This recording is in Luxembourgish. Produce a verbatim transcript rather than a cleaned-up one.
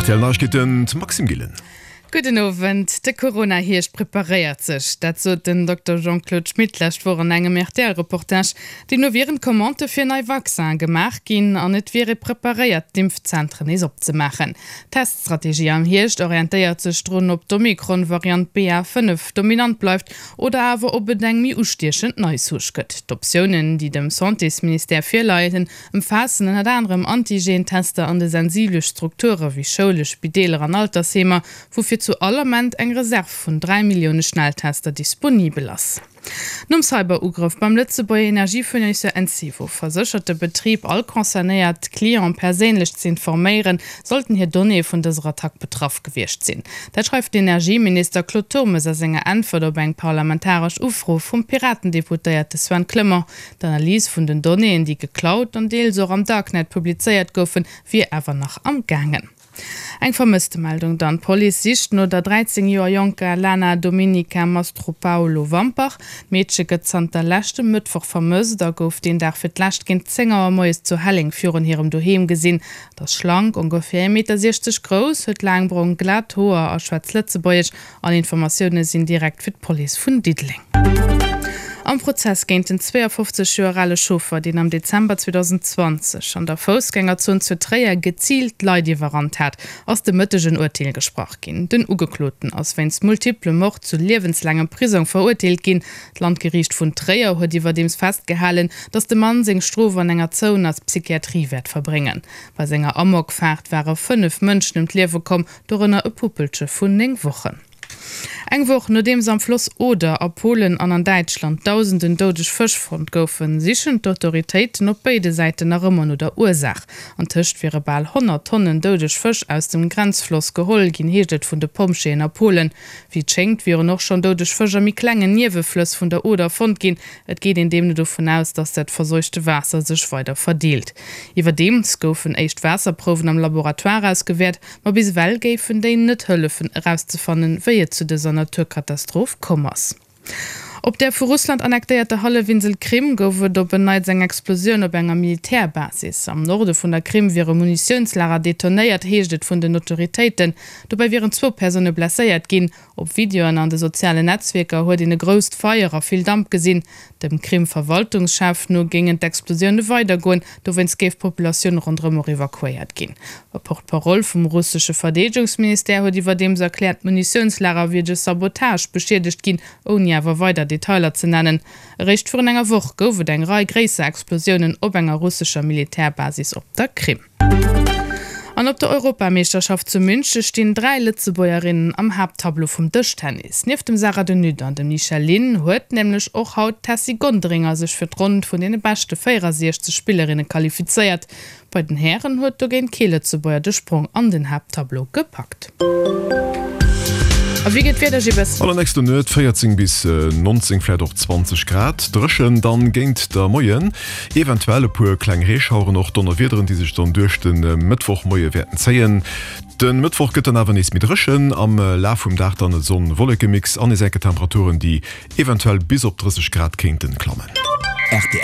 R T L Neiegkeeten, d'Maxime Gillen. Gudden Owend. De Corona-Hierscht preparéiert sech. Dat sot den Dokter Jean-Claude Schmit d'lescht Woch an engem R T L-Reportage. Deemno wieren d'Commandë fir nei Vaccine gemaach ginn an et wier ee preparéiert, d'Impfzentren nees opzemaachen. D'Teststrategie am Hierscht orientéiert sech drun, ob d'Omikron-Variant B A fënnef dominant bleift oder awer ob et eng méi ustiechend nei Souche gëtt. D'Optiounen, déi dem Santésministère virleien, ëmfaassen ënnert anerem Antigen-Tester an de sensibele Strukture wéi Schoule, Spideeler an Altersheemer, woufir zu all Ament eng Reserv vun dräi Millioune Schnelltester disponibel ass. Nom Cyberugrëff beim Lëtzebuerger Energiefournisseur Encevo verséchert de Betrib all concernéiert Cliente perséinlech ze informéieren, sollten hir Donnéeë vun dëser Attack betraff gewiescht sinn. Dat schreift den Energieminister Claude Turmes a senger Äntwert op eng parlamentaresch Ufro vum Piraten-Deputéierte Sven Clement. D'Analys vun den Donnéeën, déi geklaut an deels och am Darknet publizéiert goufen, wier awer nach am gaangen. Eng Vermësstemeldung dann, D'Police sicht no der dräizéng Joer jonker Lana Dominika Mastropaolo Wampach. D'Meedche gëtt zanter leschtem Mëttwoch vermësst a gouf deen Dag fir d'lescht géint zéng Auer moies zu Helleng virun hirem Doheem gesinn. Et ass schlank, ongeféier ee Meter siechzeg grouss, huet laang brong glat Hoer a schwätzt Lëtzebuergesch. All Informatioune sinn direkt fir d'Police vun Diddeleng. Am Prozess géint den zweeafofzeg Joer ale Chauffer, deen am Dezember zweedausendzwanzeg an der Foussgängerzon zu Tréier geziilt Leit iwwerrannt hat, ass de Mëtteg en Urteel gesprach ginn. Den Ugekloten ass wéinst multiplem Mord zu liewenslaangem Prisong verurteelt ginn. D'Landgeriicht vun Tréier huet iwwerdeems festgehalen, datt de Mann seng Strof an enger zouener Psychiatrie wäert verbréngen. Bei senger Amokfaart ware fënnef Mënschen ëm d'Liewe komm, dorënner e Puppelche vun néng Wochen. Eng Woch nodeems am Floss Oder a Polen an an Däitschland dausenden doudeg Fësch fonnt goufen, sichen d'Autoritéiten op béide Säiten nach ëmmer no der Ursaach. Antëscht wiere bal honnert Tonnen doudeg Fësch aus dem Grenzfloss geholl ginn, heescht et vun de Pompjeeën a Polen. Wéi et schéngt, wieren och schonn doudeg Fësch a méi klengen Nieweflëss vun der Oder fonnt ginn. Et geet een deemno dovun aus, datt dat verseuchte Waasser sech weider verdeelt. Iwwerdeems goufen éischt Waasserprouwen am Laboratoire ausgewäert, ma bis ewell géifen déi net hëllefen erauszefannen, wéi et zu dëser Naturkatastroph komm ass. Op der vu Russland annektéierter Hallefinsel Krim gouf et op en Neits eng Explosioun op enger Militärbasis. Am Norde vun der Krim wier e Munitiounslager detonéiert, heescht et vun den Autoritéiten. Dobäi wieren zwou Persoune blesséiert ginn. Op Videoen an de sozialen Netzwierker huet een e grousst Feier a vill Damp gesinn. Dem Krim-Verwaltungschef no géingen d'Explosioune weidergoen, dowéinst géif d'Populatioun ronderëm och evakuéiert ginn. E Porte-parole vum russesche Verdeedegungsministère huet iwwerdeems erkläert, d'Munitiounslager wier duerch Sabotage beschiedegt ginn, ouni awer weider Detailer ze nennen. Eréischt virun enger Woch gouf et eng Rei gréisser Explosiounen op enger russescher Militärbasis op der Krim. An op der Europameeschterschaft zu Münche stinn dräi Lëtzebuergerinnen am Haapttableau vum Dëschtennis. Nieft dem Sarah de Nutte an dem Michèle Lynn huet nämlech och haut d'Tessy Gonderinger sech fir d'Ronn vun deene beschte véierasechzeg Spillerinne qualifizéiert. Bei den Hären huet dogéint kee Lëtzebuerger de Sprong an den Haapttableau gepackt. A wéi geet d'Wieder, Gilles? An der nächster Nuet véierzéng bis nonzéng, vläit och zwanzeg Grad, dréchen dann géint de Moien, eventuell e puer kleng Reeschaueren, och Donnerwiederen, déi sech dann duerch de Mëttwochmoie wäerten zéien. De Mëttwoch gëtt dann awer nees méi dréchen, am Laf vum Dag dann e Sonn-Wolleke-Mix an nees enke Temperaturen, déi eventuell bis op drësseg Grad kéinten klammen. R T L.